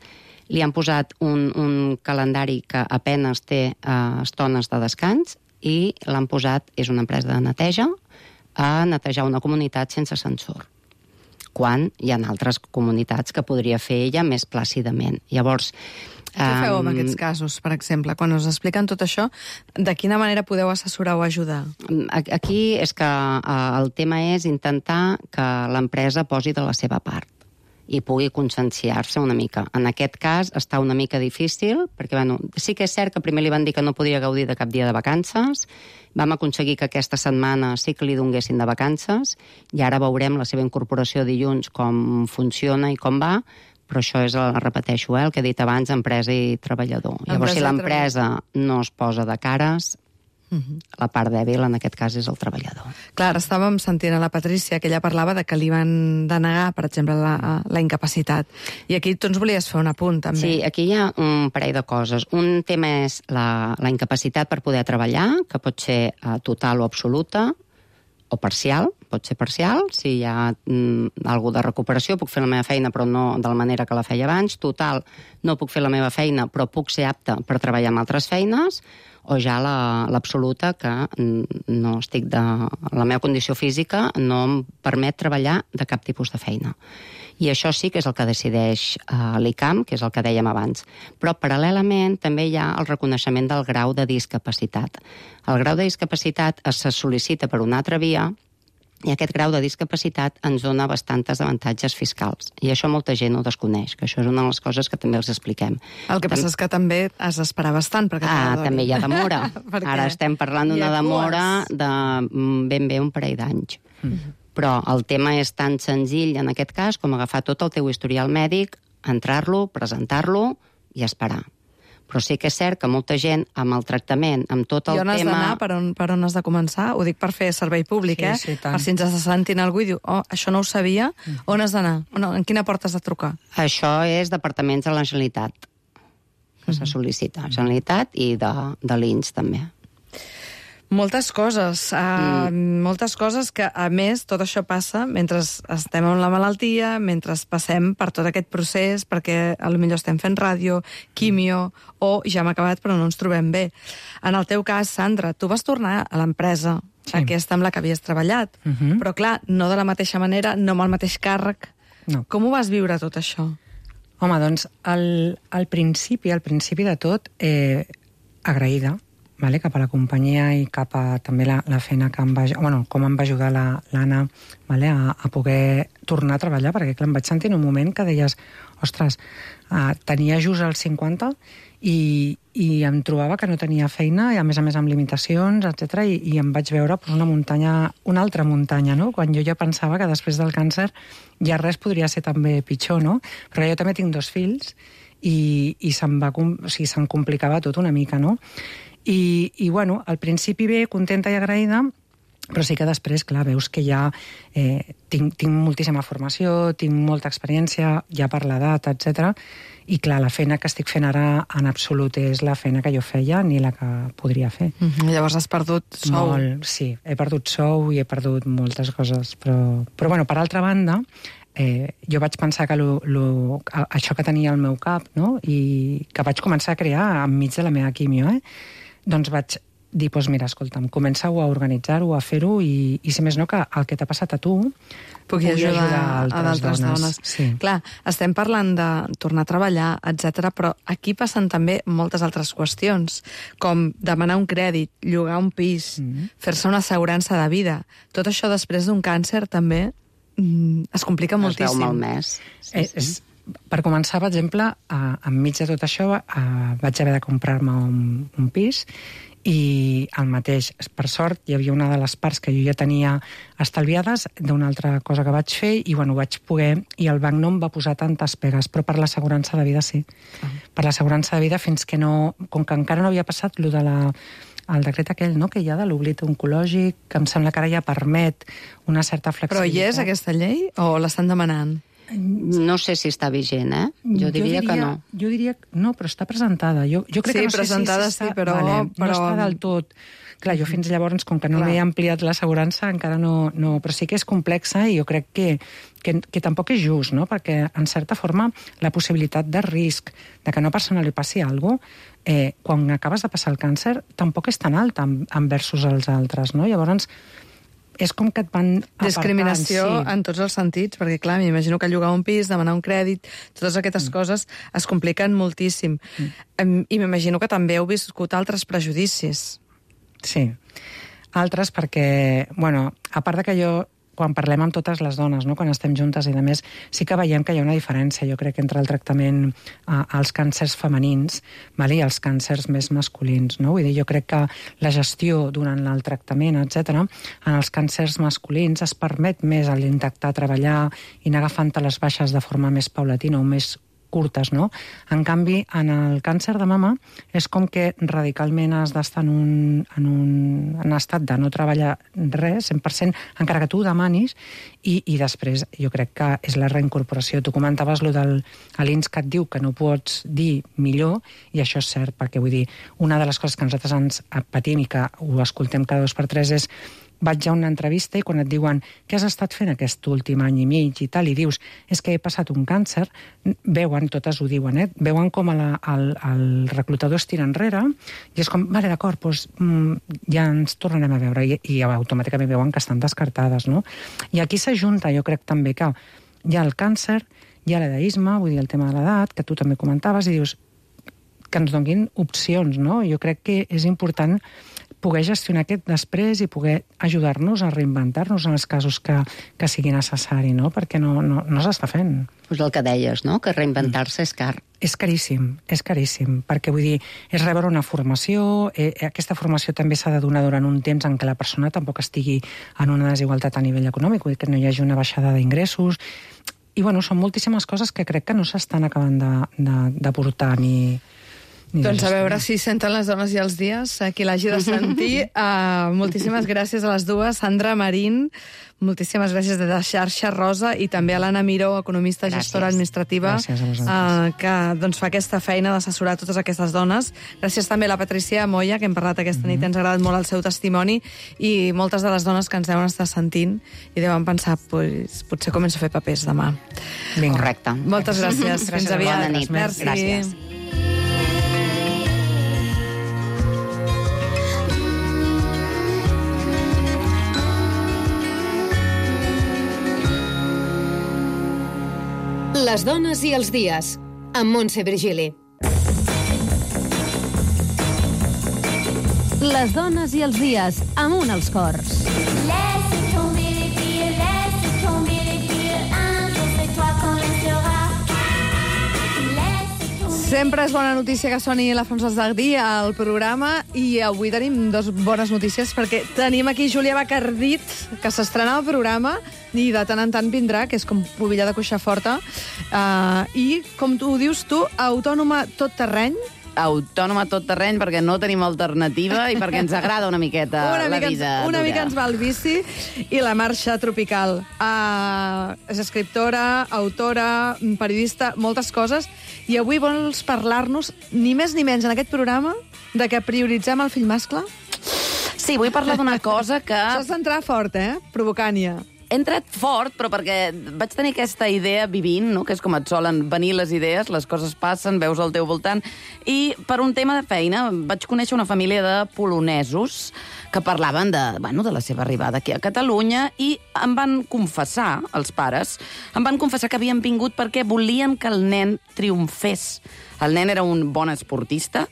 Li han posat un, un calendari que apenes té eh, estones de descans i l'han posat, és una empresa de neteja, a netejar una comunitat sense ascensor, quan hi ha altres comunitats que podria fer ella més plàcidament. Llavors, Què feu amb aquests casos, per exemple? Quan us expliquen tot això, de quina manera podeu assessorar o ajudar? Aquí és que el tema és intentar que l'empresa posi de la seva part i pugui conscienciar-se una mica. En aquest cas està una mica difícil, perquè bueno, sí que és cert que primer li van dir que no podia gaudir de cap dia de vacances, vam aconseguir que aquesta setmana sí que li donguessin de vacances, i ara veurem la seva incorporació dilluns com funciona i com va, però això és, repeteixo, eh, el que he dit abans, empresa i treballador. Empresa Llavors, si i l'empresa no es posa de cares, Uh-huh. la part dèbil en aquest cas és el treballador. Clar, estàvem sentint a la Patrícia que ella parlava de que li van denegar, per exemple, la, la incapacitat. I aquí tu ens volies fer un apunt, també. Sí, aquí hi ha un parell de coses. Un tema és la, la incapacitat per poder treballar, que pot ser uh, total o absoluta, o parcial, pot ser parcial, si hi ha mm, alguna de recuperació, puc fer la meva feina però no de la manera que la feia abans, total, no puc fer la meva feina però puc ser apta per treballar en altres feines, o ja l'absoluta, la, que no estic de... la meva condició física no em permet treballar de cap tipus de feina. I això sí que és el que decideix uh, l'I C A M, que és el que dèiem abans. Però paral·lelament també hi ha el reconeixement del grau de discapacitat. El grau de discapacitat es sol·licita per una altra via, i aquest grau de discapacitat ens dona bastants avantatges fiscals. I això molta gent ho desconeix, que això és una de les coses que també els expliquem. El que passa Tam... és que també has d'esperar bastant perquè Ah, també hi ha demora. Ara estem parlant d'una demora de ben bé un parell d'anys. Mm-hmm. Però el tema és tan senzill en aquest cas com agafar tot el teu historial mèdic, entrar-lo, presentar-lo i esperar. Però sí que és cert que molta gent, amb el tractament, amb tot el tema... I on has d'anar? Per, on, per on has de començar? Ho dic per fer servei públic, sí, eh? Sí, tant. Per si ens està sentint algú i diu, oh, això no ho sabia, mm. on has d'anar? En quina porta has de trucar? Això és departaments de la Generalitat, que mm. se sol·licita. Generalitat i de, de l'I N S, també. Moltes coses, uh, mm. moltes coses que, a més, tot això passa mentre estem amb la malaltia, mentre passem per tot aquest procés, perquè potser estem fent ràdio, quimio, o ja hem acabat però no ens trobem bé. En el teu cas, Sandra, tu vas tornar a l'empresa, sí. aquesta amb la que havies treballat, uh -huh. però clar, no de la mateixa manera, no amb el mateix càrrec. No. Com ho vas viure tot això? Home, doncs, al, al principi, al principi de tot, eh, agraïda, vale, cap a la companyia i cap a també la, la feina que em va... Bueno, com em va ajudar l'Anna vale, a, a poder tornar a treballar, perquè clar, em vaig sentir en un moment que deies, ostres, uh, tenia just els cinquanta i, i em trobava que no tenia feina, i a més a més amb limitacions, etcètera, i, i em vaig veure pues, una muntanya, una altra muntanya, no? Quan jo ja pensava que després del càncer ja res podria ser també pitjor, no? Però jo també tinc dos fills i, i se'm, va, o sigui, se'm complicava tot una mica, no? I, i bueno, al principi bé, contenta i agraïda, però sí que després, clar, veus que ja eh, tinc, tinc moltíssima formació, tinc molta experiència, ja per l'edat, etcètera. I clar, la feina que estic fent ara en absolut és la feina que jo feia ni la que podria fer. Mm-hmm. Llavors has perdut sou. Molt, sí, he perdut sou i he perdut moltes coses, però, però bueno, per altra banda, eh, jo vaig pensar que lo, lo, això que tenia al meu cap, no? I que vaig començar a crear enmig de la meva quimio, eh? Doncs vaig dir, doncs mira, escolta'm, comença-ho a organitzar-ho, a fer-ho, i, i si més no, que el que t'ha passat a tu pugui ajudar, ajudar a, a d'altres dones. dones. Sí. Clar, estem parlant de tornar a treballar, etcètera, però aquí passen també moltes altres qüestions, com demanar un crèdit, llogar un pis, mm-hmm. fer-se una assegurança de vida. Tot això després d'un càncer també mm, es complica es moltíssim. Es veu molt més. Sí, eh, és, per començar, per exemple, eh, enmig de tot això eh, vaig haver de comprar-me un, un pis, i el mateix, per sort, hi havia una de les parts que jo ja tenia estalviades d'una altra cosa que vaig fer i bueno, vaig poder, i el banc no em va posar tantes pegues, però per l'assegurança de vida sí. Ah. Per l'assegurança de vida fins que no, com que encara no havia passat lo de la el decret aquell, no?, que hi ha de l'oblit oncològic, que em sembla que ara ja permet una certa flexibilitat. Però hi és aquesta llei o l'estan demanant? No sé si està vigent, eh? Jo, jo diria, diria que no. Jo diria que no, però està presentada. Jo, jo crec sí, que no presentada sé si sí, però... Vale, però... no està del tot... Clar, jo fins llavors, com que no m'he ampliat l'assegurança, encara no, no... Però sí que és complexa i jo crec que, que, que tampoc és just, no? Perquè, en certa forma, la possibilitat de risc de que a una persona li passi alguna cosa, eh, quan acabes de passar el càncer, tampoc és tan alta versus els altres, no? Llavors, és com que et van apartant. Discriminació sí. en tots els sentits, perquè clar, m'imagino que llogar un pis, demanar un crèdit, totes aquestes mm. coses es compliquen moltíssim. Mm. I m'imagino que també heu viscut altres prejudicis. Sí, altres perquè, bueno, a part de que jo, quan parlem amb totes les dones, no?, quan estem juntes i de més, sí que veiem que hi ha una diferència, jo crec, entre el tractament eh, als càncers femenins, vale, i els càncers més masculins, no? Vull dir, jo crec que la gestió durant el tractament, etcètera, en els càncers masculins es permet més a l'intentar treballar i anar agafant les baixes de forma més paulatina o més curtes, no? En canvi, en el càncer de mama és com que radicalment has d'estar en un, en un en estat de no treballar res, cent per cent, encara que tu ho demanis, i, i després jo crec que és la reincorporació. Tu comentaves lo del l'I N S que et diu que no pots dir millor, i això és cert, perquè vull dir, una de les coses que nosaltres ens patim i que ho escoltem cada dos per tres és vaig a una entrevista i quan et diuen què has estat fent aquest últim any i mig i tal, i dius, és que he passat un càncer, veuen, totes ho diuen, eh? Veuen com la, el, el reclutador es tira enrere i és com, vale, d'acord, doncs, ja ens tornarem a veure, i, i automàticament veuen que estan descartades, no? I aquí s'ajunta, jo crec també que hi ha el càncer, hi ha l'edaisme, vull dir, el tema de l'edat, que tu també comentaves, i dius que ens donin opcions, no? Jo crec que és important poder gestionar aquest després i poder ajudar-nos a reinventar-nos en els casos que, que sigui necessari, no? Perquè no, no, no s'està fent. Pues el que deies, no?, que reinventar-se és car. És caríssim, és caríssim, perquè vull dir, és rebre una formació, eh, aquesta formació també s'ha de donar durant un temps en què la persona tampoc estigui en una desigualtat a nivell econòmic, vull dir que no hi hagi una baixada d'ingressos, i bueno, són moltíssimes coses que crec que no s'estan acabant de, de, de portar ni... Doncs a veure si senten les dones i els dies, qui l'hagi de sentir. Uh, moltíssimes gràcies a les dues. Sandra Marín, moltíssimes gràcies de Xarxa Rosa, i també a l'Anna Miró, economista, gràcies. Gestora administrativa, uh, que doncs, fa aquesta feina d'assessorar totes aquestes dones. Gràcies també a la Patricia Moya, que hem parlat aquesta nit, ens ha agradat molt el seu testimoni, i moltes de les dones que ens deuen estar sentint i deuen pensar, pues, potser començo a fer papers demà. Ben correcte. Moltes gràcies. gràcies. Fins aviat. Bona nit. Merci. Gràcies. Les dones i els dies, amb Montse Virgili. Les dones i els dies, amunt els cors. Laisse tomber les filles, laisse tomber les filles, un jour c'est toi qu'on laissera. Laisse tomber. Sempre és bona notícia que soni la Francesc Dardy al programa i avui tenim dos bones notícies perquè tenim aquí Júlia Bacardit, que s'estrena al programa i de tant en tant vindrà, que és com pubilla de cuixa forta, uh, i, com tu ho dius tu, autònoma tot terreny. Autònoma tot terreny perquè no tenim alternativa i perquè ens agrada una miqueta una la mica vida ens, Una dura. mica ens va el bici i la marxa tropical. Uh, és escriptora, autora, periodista, moltes coses, i avui vols parlar-nos, ni més ni menys en aquest programa, de que prioritzem el fill mascle? Sí, vull parlar d'una cosa que... Això és entrar fort, eh? Provocant-ja. He entrat fort, però perquè vaig tenir aquesta idea vivint, no? Que és com et solen venir les idees, les coses passen, veus al teu voltant, i per un tema de feina vaig conèixer una família de polonesos que parlaven de, bueno, de la seva arribada aquí a Catalunya i em van confessar, els pares, em van confessar que havien vingut perquè volien que el nen triomfés. El nen era un bon esportista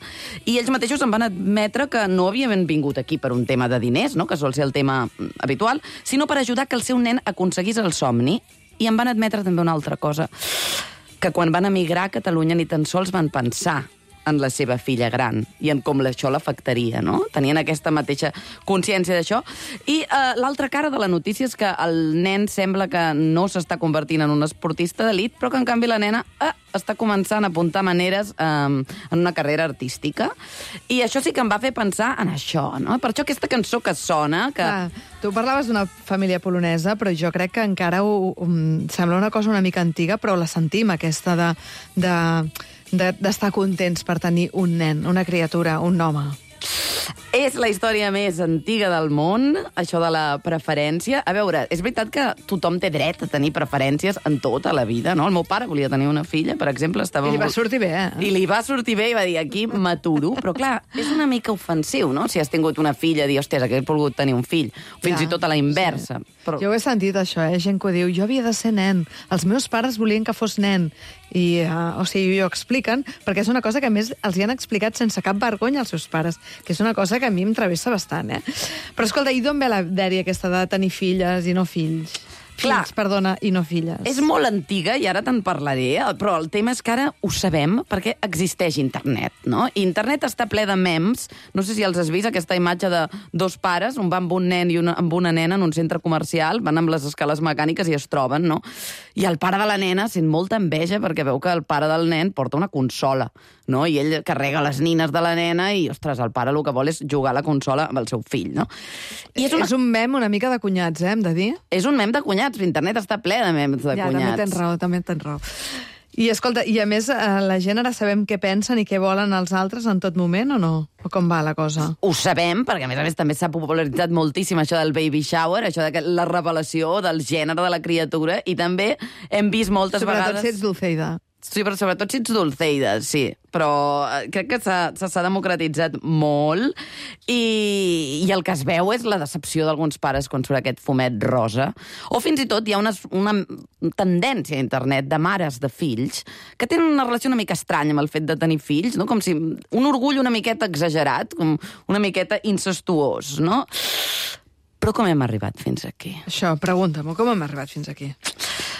i ells mateixos em van admetre que no havien vingut aquí per un tema de diners, no? Que sol ser el tema habitual, sinó per ajudar que el seu nen aconseguís el somni. I em van admetre també una altra cosa, que quan van emigrar a Catalunya ni tan sols van pensar en la seva filla gran i en com això l'afectaria, no? Tenien aquesta mateixa consciència d'això. I eh, l'altra cara de la notícia és que el nen sembla que no s'està convertint en un esportista d'elit, però que en canvi la nena eh, està començant a apuntar maneres eh, en una carrera artística. I això sí que em va fer pensar en això, no? Per això aquesta cançó que sona... Que... Clar, tu parlaves d'una família polonesa, però jo crec que encara ho, um, sembla una cosa una mica antiga, però la sentim, aquesta de... de... d'estar contents per tenir un nen, una criatura, un home. És la història més antiga del món, això de la preferència. A veure, és veritat que tothom té dret a tenir preferències en tota la vida, no? El meu pare volia tenir una filla, per exemple, estava... I li va sortir bé, eh? I li va sortir bé i va dir, aquí m'aturo. Però, clar, és una mica ofensiu, no? Si has tingut una filla, dir, hòstia, hagués volgut tenir un fill. Fins Ja, i tot a la inversa. Sí. Però... Jo ho he sentit, això, eh? Gent que ho diu, jo havia de ser nen. Els meus pares volien que fos nen. I, uh, o sigui, ho expliquen, perquè és una cosa que, a més, els hi han explicat sense cap vergonya als seus pares, que és una cosa que a mi em travessa bastant, eh? Però, escolta, i d'on ve la dèria aquesta de tenir filles i no fills? Clar. Fills, perdona, i no filles. És molt antiga i ara te'n parlaré, però el tema és que ara ho sabem perquè existeix internet, no? I internet està ple de memes. No sé si els has vist, aquesta imatge de dos pares, un va amb un nen i una, amb una nena en un centre comercial, van amb les escales mecàniques i es troben, no? I el pare de la nena sent molta enveja perquè veu que el pare del nen porta una consola, no? I ell carrega les nines de la nena i, ostres, el pare el que vol és jugar a la consola amb el seu fill, no? I és, una... és un mem una mica de cunyats, eh, hem de dir? És un mem de cunyats. Internet està ple de memes de ja, cunyats. Ja, també tens raó, també tens raó. I, escolta, i a més, eh, la gent ara sabem què pensen i què volen els altres en tot moment, o no? O com va la cosa? Ho sabem, perquè a més a més també s'ha popularitzat moltíssim això del baby shower, això de la revelació del gènere de la criatura, i també hem vist moltes Sobretot vegades... si ets Dulceida. Sí, però sobretot si ets Dulceida, sí. Però crec que s'ha democratitzat molt i, i el que es veu és la decepció d'alguns pares quan surt aquest fumet rosa. O fins i tot hi ha una, una tendència a internet de mares de fills que tenen una relació una mica estranya amb el fet de tenir fills, no? Com si un orgull una miqueta exagerat, com una miqueta incestuós, no? Però com hem arribat fins aquí? Això, pregunta-m'ho, com hem arribat fins aquí?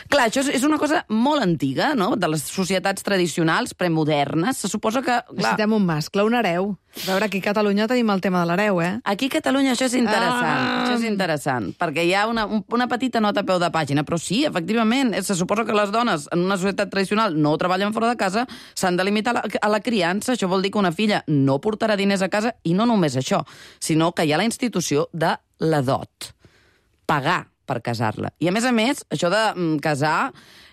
Clar, això és una cosa molt antiga, no?, de les societats tradicionals, premodernes. Se suposa que... Clar, necessitem un mascle, un hereu. A veure, aquí a Catalunya tenim el tema de l'hereu, eh? Aquí a Catalunya això és interessant, Ah! això és interessant, perquè hi ha una, una petita nota a peu de pàgina, però sí, efectivament, se suposa que les dones en una societat tradicional no treballen fora de casa, s'han de limitar a la, a la criança. Això vol dir que una filla no portarà diners a casa, i no només això, sinó que hi ha la institució de la dot. Pagar per casar-la. I, a més a més, això de mm, casar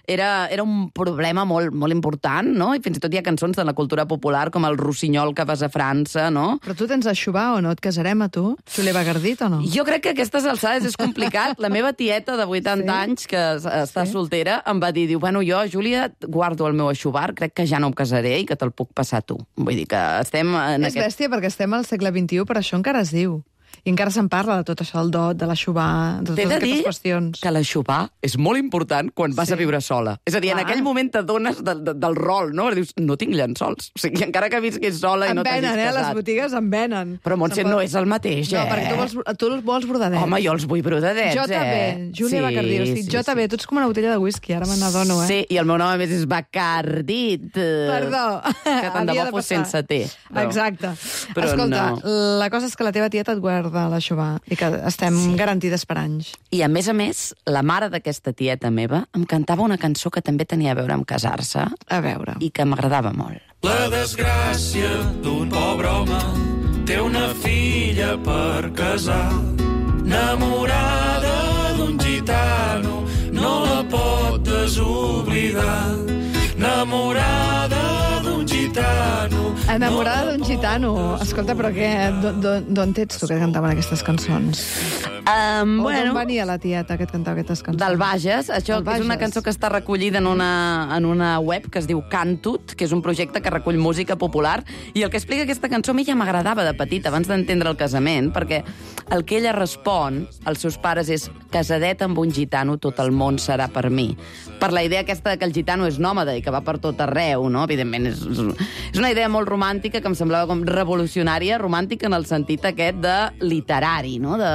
era, era un problema molt, molt important, no? I fins i tot hi ha cançons de la cultura popular, com el Rossinyol que vas a França, no? Però tu tens a xubar o no? Et casarem a tu? Júlia Bacardit o no? Jo crec que a aquestes alçades és complicat. La meva tieta de vuitanta sí? anys, que està sí? soltera, em va dir, diu, bueno, jo, Júlia, guardo el meu aixubar, crec que ja no em casaré i que te'l puc passar tu. Vull dir que estem en És aquest... bèstia perquè estem al segle vint-i-u, però això encara es diu. I encara se'n parla de tot això, del dot, de la xubà, de T'he totes de dir aquestes qüestions. que la xubà és molt important quan vas Sí. a viure sola. És a dir, en Clar. aquell moment t'adones de, de, del rol, no? Dius, no tinc llençols. O sigui, encara que visquis sola i En no t'hagis venen, eh? casat. Les botigues en venen. Però, Montse, Se'n pot- no és el mateix, eh? No, perquè tu vols, tu vols brodadets. Home, jo els vull brodadets, Jo eh? també, Júlia Bacardí. O sigui, jo també, tu ets com una botella de whisky, ara me n'adono, eh? Sí, i el meu nom a més és Bacardit. Perdó. Que tant de Havia bo fos passar. sense T. Però... Exacte. Però Escolta, no. la cosa és que la teva tieta et guarda la xubà i que estem sí. garantides per anys. I, a més a més, la mare d'aquesta tieta meva em cantava una cançó que també tenia a veure amb casar-se. A veure. I que m'agradava molt. La desgràcia d'un pobre home té una filla per casar. Enamorada d'un gitano, no la pot desoblidar. Enamorada d'un gitano... Enamorada d'un gitano. Escolta, però què, d'on ets tu que cantaven aquestes cançons? Um, O bueno, d'on venia la tieta que et cantava aquestes cançons? del Bages. Això Del és una Bages. cançó que està recollida en una, en una web que es diu Cantut, que és un projecte que recull música popular, i el que explica aquesta cançó a mi ja m'agradava de petita, abans d'entendre el casament, perquè el que ella respon als seus pares és casadeta amb un gitano, tot el món serà per mi. Per la idea aquesta de que el gitano és nòmada i que va per tot arreu, no? Evidentment, és, és una idea molt romàntica que em semblava com revolucionària, romàntica en el sentit aquest de literari, no? De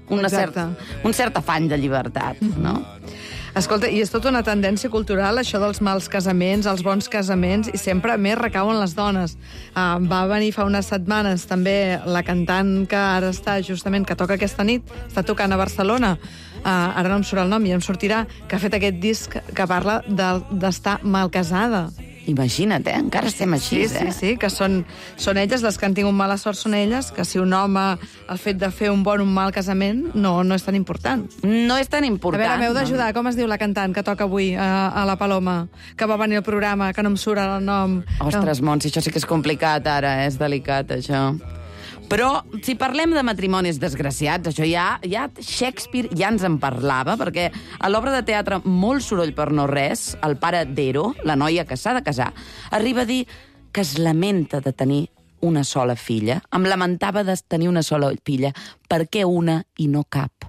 una certa, un cert afany de llibertat, no? Escolta, i és tota una tendència cultural, això dels mals casaments, els bons casaments, i sempre més recauen les dones. Uh, va venir fa unes setmanes també la cantant que ara està justament, que toca aquesta nit, està tocant a Barcelona, uh, ara no em surt el nom i em sortirà, que ha fet aquest disc que parla d'estar de, mal casada. Imagina't, eh? Encara estem així, sí, eh? Sí, sí, que són, són elles, les que han tingut mala sort són elles, que si un home, el fet de fer un bon o un mal casament, no, no és tan important. No és tan A important. veure, m'heu d'ajudar. Com es diu la cantant que toca avui a, a la Paloma? Que va venir al programa, que no em surt el nom. Ostres, Montse, això sí que és complicat ara, eh? És delicat, això. Però, si parlem de matrimonis desgraciats, això ja, ja Shakespeare ja ens en parlava, perquè a l'obra de teatre Molt soroll per no res, el pare d'Ero, la noia que s'ha de casar, arriba a dir que es lamenta de tenir una sola filla. Em lamentava de tenir una sola filla. Per què una i no cap?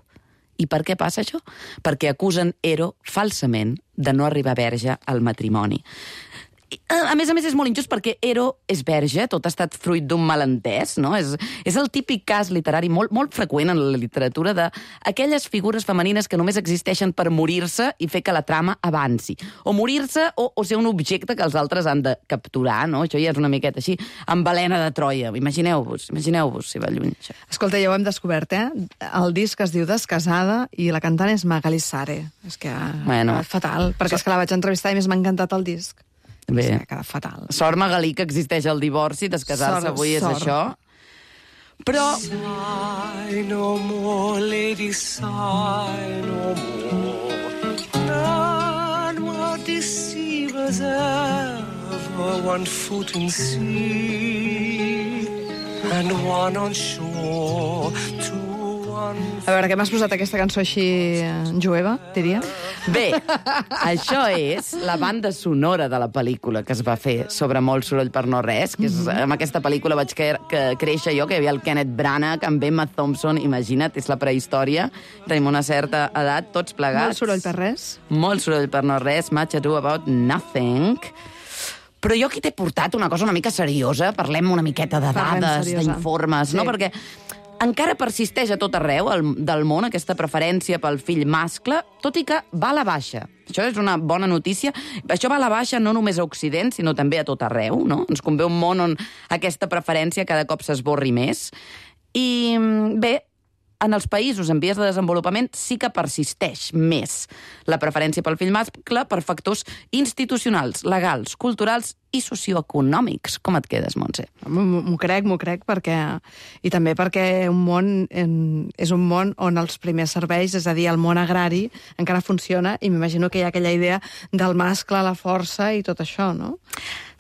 I per què passa això? Perquè acusen Ero falsament de no arribar verge al matrimoni. A més a més, és molt injust perquè Ero és verge, tot ha estat fruit d'un malentès, no? És, és el típic cas literari molt, molt freqüent en la literatura d'aquelles figures femenines que només existeixen per morir-se i fer que la trama avanci. O morir-se o, o ser un objecte que els altres han de capturar, no? Això ja és una miqueta així, amb Helena de Troia. Imagineu-vos, imagineu-vos si va lluny, això. Escolta, ja ho hem descobert, eh? El disc es diu Descasada i la cantant és Magali Sare. És que Bueno. bueno. fatal, perquè és que la vaig entrevistar i més m'ha encantat el disc. Bé. És que ha quedat fatal. Sort, Magalí, que existeix el divorci, descasar-se Sort, avui és sort. això. Però... Sigh no more, lady, sigh no more. None were deceivers ever, one foot in sea, and one on shore, two on... A veure, què m'has posat aquesta cançó així eh, jueva, diria? Bé, això és la banda sonora de la pel·lícula que es va fer sobre Molt soroll per no res, que és, amb aquesta pel·lícula vaig que, que créixer jo, que hi havia el Kenneth Branagh, amb Emma Thompson, imagina't, és la prehistòria, tenim una certa edat, tots plegats. Molt soroll per res. Molt soroll per no res, much ado about nothing. Però jo aquí t'he portat una cosa una mica seriosa, parlem una miqueta de Parlem dades, seriosa. d'informes, Sí. no? Perquè encara persisteix a tot arreu el, del món aquesta preferència pel fill mascle, tot i que va a la baixa. Això és una bona notícia. Això va a la baixa no només a Occident, sinó també a tot arreu, no? Ens convé un món on aquesta preferència cada cop s'esborri més. I, bé, en els països en vies de desenvolupament sí que persisteix més la preferència pel fill mascle per factors institucionals, legals, culturals i socioeconòmics. Com et quedes, Montse? M'ho crec, m'ho crec, perquè... I també perquè un món en... és un món on els primers serveis, és a dir, el món agrari, encara funciona, i m'imagino que hi ha aquella idea del mascle, la força i tot això, no?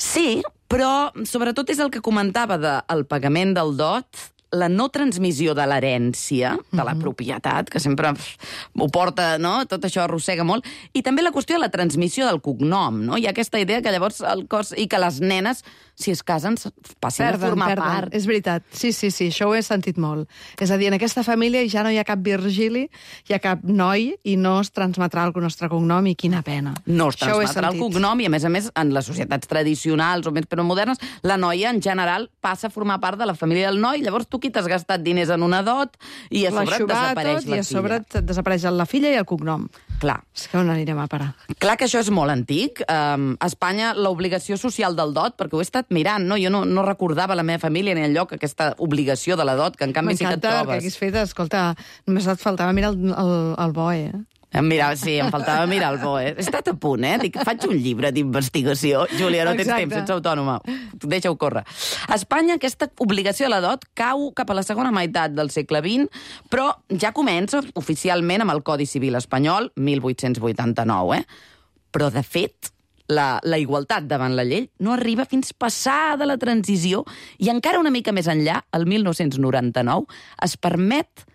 Sí, però sobretot és el que comentava del pagament del dot, la no transmissió de l'herència, de la propietat, que sempre ho porta, no? Tot això arrossega molt, i també la qüestió de la transmissió del cognom, no? Hi ha aquesta idea que llavors el cos... i que les nenes, si es casen, passin Perden, a formar perden. part. És veritat. Sí, sí, sí, això ho he sentit molt. És a dir, en aquesta família ja no hi ha cap Virgili, hi ha cap noi, i no es transmetrà el nostre cognom, i quina pena. No es Això ho he transmetrà el sentit. cognom, i a més a més, en les societats tradicionals o més però modernes, la noia, en general, passa a formar part de la família del noi, llavors tu qui t'has gastat diners en una dot, i a sobre et desapareix tot, la i a sobre filla. et desapareix la filla i el cognom. Clar. És que on anirem a parar? Clar que això és molt antic. Um, a Espanya, l'obligació social del dot, perquè ho he estat mirant, no? Jo no, no recordava a la meva família ni enlloc aquesta obligació de la dot, que en canvi sí que et M'encanta que trobes. haguis fet, escolta, només et faltava mirar el, el, el bo, eh? Mira, sí, em faltava mirar el bo, eh? He estat a punt, eh? Dic, faig un llibre d'investigació. Júlia, no tens Exacte. temps, ets autònoma. Deixa-ho córrer. A Espanya, aquesta obligació de la dot cau cap a la segona meitat del segle vint, però ja comença oficialment amb el Codi Civil espanyol, mil vuit-cents vuitanta-nou, eh? Però, de fet, la, la igualtat davant la llei no arriba fins passada la transició, i encara una mica més enllà, el mil nou-cents noranta-nou, es permet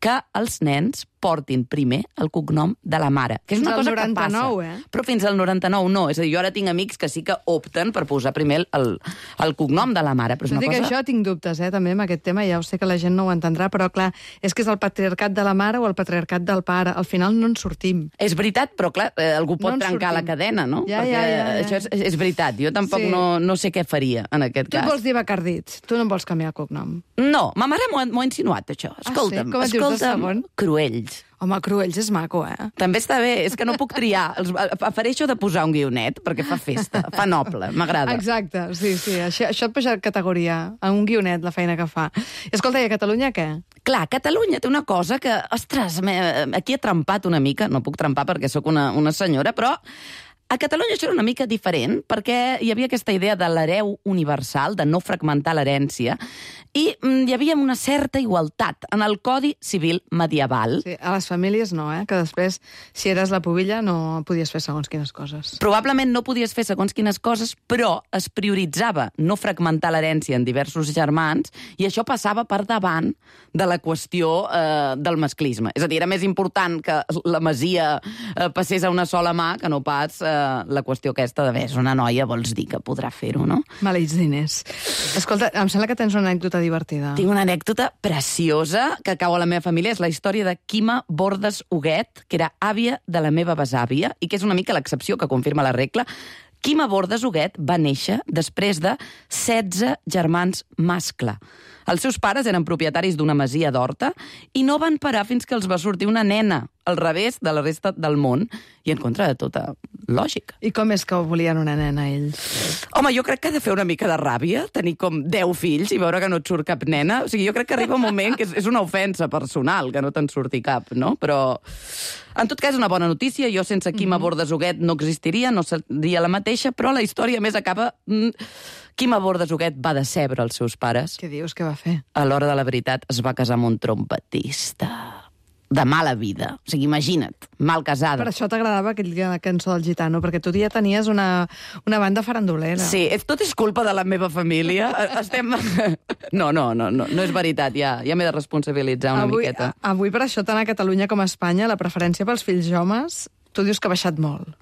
que els nens portin primer el cognom de la mare. Que és Fins una al cosa noranta-nou, que passa. eh? Però fins al noranta-nou no. És a dir, jo ara tinc amics que sí que opten per posar primer el, el cognom de la mare. Però és Tot una i que cosa... això tinc dubtes, eh, també, amb aquest tema. Ja ho sé que la gent no ho entendrà, però, clar, és que és el patriarcat de la mare o el patriarcat del pare. Al final no en sortim. És veritat, però, clar, eh, algú pot No en trencar sortim. la cadena, no? Ja, Perquè ja, ja, ja. això és, és veritat. Jo tampoc Sí. no, no sé què faria en aquest Tu et cas. vols dir Bacardits, tu no em vols canviar el cognom. No, ma mare m'ho ha, m'ho ha insinuat, això. Escolta'm, Ah, sí? Com et dius de escolta'm, segon? Cruells. Home, Cruells és maco, eh? També està bé, és que no puc triar. Els, afereixo de posar un guionet, perquè fa festa, fa noble, m'agrada. Exacte, sí, sí. Això, això et puja categoria, a un guionet, la feina que fa. I escolta, i a Catalunya què? Clar, Catalunya té una cosa que, ostres, m'he- aquí he trempat una mica, no puc trempar perquè sóc una, una senyora, però a Catalunya això era una mica diferent, perquè hi havia aquesta idea de l'hereu universal, de no fragmentar l'herència, i mm, hi havia una certa igualtat en el Codi Civil medieval. Sí, a les famílies no, eh? Que després, si eres la pubilla, no podies fer segons quines coses. Probablement no podies fer segons quines coses, però es prioritzava no fragmentar l'herència en diversos germans, i això passava per davant de la qüestió eh, del masclisme. És a dir, era més important que la masia eh, passés a una sola mà que no pas eh, la qüestió aquesta de, bé, és una noia, vols dir que podrà fer-ho, no? Maleïts diners. Escolta, em sembla que tens una anècdota divertida. Tinc una anècdota preciosa que cau a la meva família. És la història de Quima Bordes Huguet, que era àvia de la meva besàvia, i que és una mica l'excepció que confirma la regla. Quima Bordes Huguet va néixer després de setze germans mascle. Els seus pares eren propietaris d'una masia d'Horta i no van parar fins que els va sortir una nena, al revés de la resta del món i en contra de tota lògica. I com és que volien una nena, ells? Home, jo crec que ha de fer una mica de ràbia tenir com deu fills i veure que no et surt cap nena. O sigui, jo crec que arriba un moment que és, és una ofensa personal que no te'n surti cap, no? Però, en tot cas, una bona notícia. Jo sense Quima Bordes Huguet no existiria, no seria la mateixa, però la història més acaba... Quima Bordes Huguet va decebre els seus pares. Què dius, què va fer? A l'hora de la veritat es va casar amb un trompetista de mala vida. O sigui, imagina't, mal casada. Per això t'agradava aquella cançó del Gitano, perquè tu ja tenies una, una banda farandolera. Sí, és, tot és culpa de la meva família. Estem... No, no, no, no, no és veritat, ja, ja m'he de responsabilitzar una avui, miqueta. Avui, per això, tant a Catalunya com a Espanya, la preferència pels fills homes, tu dius que ha baixat molt.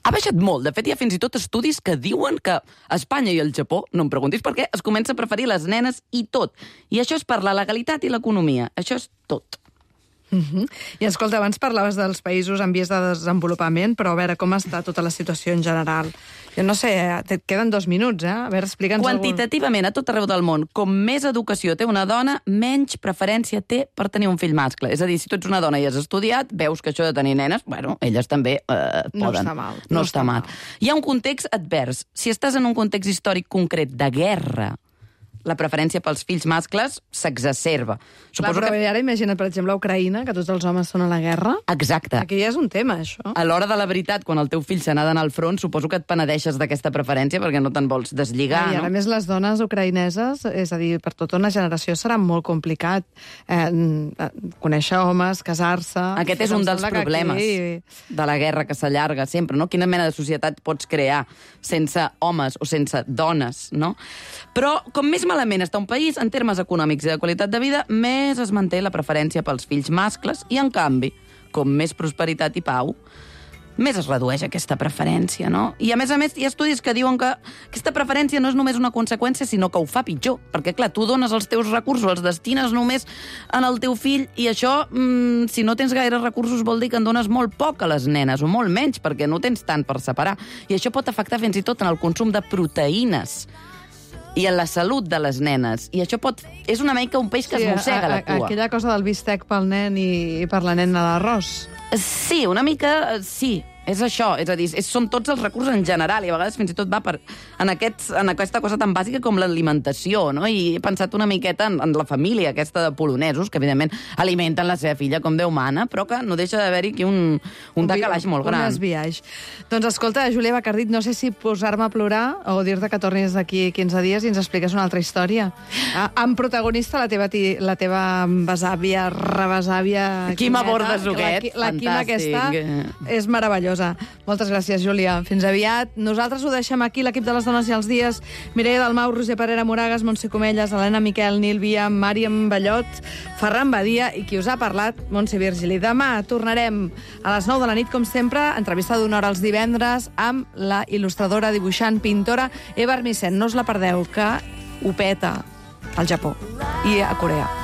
Ha baixat molt. De fet, hi ha fins i tot estudis que diuen que a Espanya i al Japó, no em preguntis per què, es comença a preferir les nenes i tot. I això és per la legalitat i l'economia. Això és tot. Uh-huh. I escolta, abans parlaves dels països en vies de desenvolupament, però a veure com està tota la situació en general. Jo no sé, et queden dos minuts, eh? A veure, explica'ns Quantitativament, a tot arreu del món, com més educació té una dona, menys preferència té per tenir un fill mascle. És a dir, si tu ets una dona i has estudiat, veus que això de tenir nenes, bueno, elles també eh, poden. No està mal. No, no està mal. mal. Hi ha un context advers. Si estàs en un context històric concret de guerra, la preferència pels fills mascles s'exacerba. Clar, però que... ara imagina't, per exemple, a Ucraïna, que tots els homes són a la guerra. Exacte. Aquí ja és un tema, això. A l'hora de la veritat, quan el teu fill se n'ha d'anar al front, suposo que et penedeixes d'aquesta preferència perquè no te'n vols deslligar, I ara no? més les dones ucraïneses, és a dir, per tota una generació serà molt complicat eh, conèixer homes, casar-se... Aquest és un dels problemes aquí... de la guerra que s'allarga sempre, no? Quina mena de societat pots crear sense homes o sense dones, no? Però com més malament està un país en termes econòmics i de qualitat de vida, més es manté la preferència pels fills mascles i, en canvi, com més prosperitat i pau, més es redueix aquesta preferència, no? I, a més a més, hi ha estudis que diuen que aquesta preferència no és només una conseqüència, sinó que ho fa pitjor. Perquè, clar, tu dones els teus recursos, els destines només en el teu fill, i això, mmm, si no tens gaire recursos, vol dir que en dones molt poc a les nenes, o molt menys, perquè no tens tant per separar. I això pot afectar fins i tot en el consum de proteïnes i en la salut de les nenes. I això pot... és una mica un peix que sí, es mossega a, a, la cua. Aquella cosa del bistec pel nen i per la nena l'arròs. Sí, una mica sí. És això, és a dir, és, són tots els recursos en general, i a vegades fins i tot va per, en, aquests, en aquesta cosa tan bàsica com l'alimentació, no? I he pensat una miqueta en, en la família aquesta de polonesos, que evidentment alimenten la seva filla com Déu mana, però que no deixa d'haver-hi aquí un, un decalaix molt gran. Un esbiaix. Doncs escolta, Júlia Bacardit, no sé si posar-me a plorar o dir-te que tornis d'aquí quinze dies i ens expliques una altra història. Ah, amb protagonista la teva, ti, la teva besàvia, rebesàvia... Quima Bordes Huguet, la, la Quima aquesta és meravellosa. Moltes gràcies, Júlia. Fins aviat. Nosaltres ho deixem aquí, l'equip de les dones i els dies. Mireia Dalmau, Roser Parera Moragas, Montse Comelles, Helena Miquel, Nil Via, Màriam Ballot, Ferran Badia i qui us ha parlat, Montse Virgili. Demà tornarem a les nou de la nit, com sempre, entrevista d'una hora els divendres amb la il·lustradora, dibuixant, pintora Eva Armisen. No us la perdeu, que ho peta al Japó i a Corea.